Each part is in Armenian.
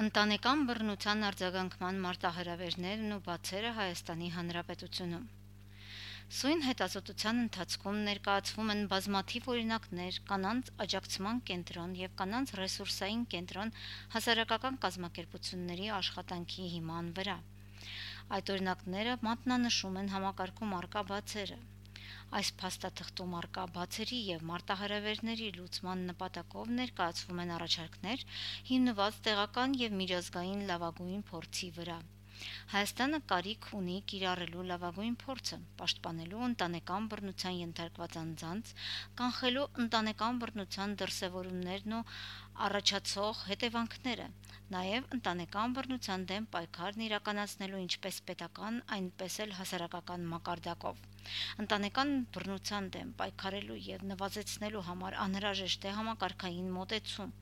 Ընտանեկան բռնության արձագանքման մարտահրավերներն ու բացերը Հայաստանի Հանրապետությունում։ Սույն հետազոտության ընթացքում ներկայացվում են բազմաթիվ օրինակներ կանանց աջակցման կենտրոն և կանանց ռեսուրսային կենտրոն հասարակական կազմակերպությունների աշխատանքի հիման վրա։ Այդ օրինակները մատնանշում են համակարգում առկա բացերը։ Այս փաստաթղթում առկա բացերի և մարտահրավերների լուծման նպատակով ներկայացվում են առաջարկներ, հիմնված տեղական և միջազգային լավագույն փորձի վրա։ Հայաստանը կարիք ունի կիրառելու լավագույն փորձը, պաշտպանելու ընտանեկան բռնության ենթարկված անձանց, կանխելու ընտանեկան բռնության դրսևորումներն ու առաջացող հետևանքները, նաև ընտանեկան բռնության դեմ պայքարն իրականացնելու ինչպես պետական, այնպես էլ հասարակական մակարդակով։ Ընտանեկան բռնության դեմ պայքարելու և նվազեցնելու համար անհրաժեշտ է համակարգային մոտեցում։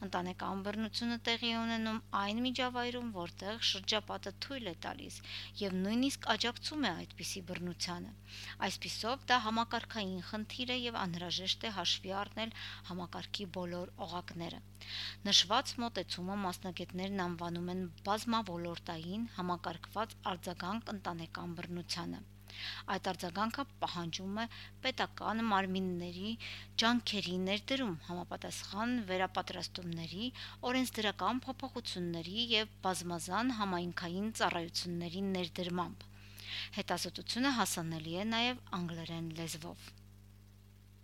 Ընտանեկան բռնությունը տեղի է ունենում այն միջավայրում, որտեղ շրջապատը թույլ է տալիս և նույնիսկ աջակցում է այդպիսի բռնությանը։ Այսպիսով, դա համակարգային խնդիր է և անհրաժեշտ է հաշվի առնել համակարգի բոլոր օղակները։ Նշված մոտեցումը մասնագետներն անվանում են բազմաոլորտային, համակարգված արձագանք ընտանեկան բռնությանը։ Այդ արձագանքը պահանջում է պետական մարմինների ջանքերի ներդրում, համապատասխան վերապատրաստումների, օրենսդրական փոփոխությունների և բազմազան համայնքային ծառայությունների ներդրմամբ։ Հետազոտությունը հասանելի է նաև անգլերեն լեզվով։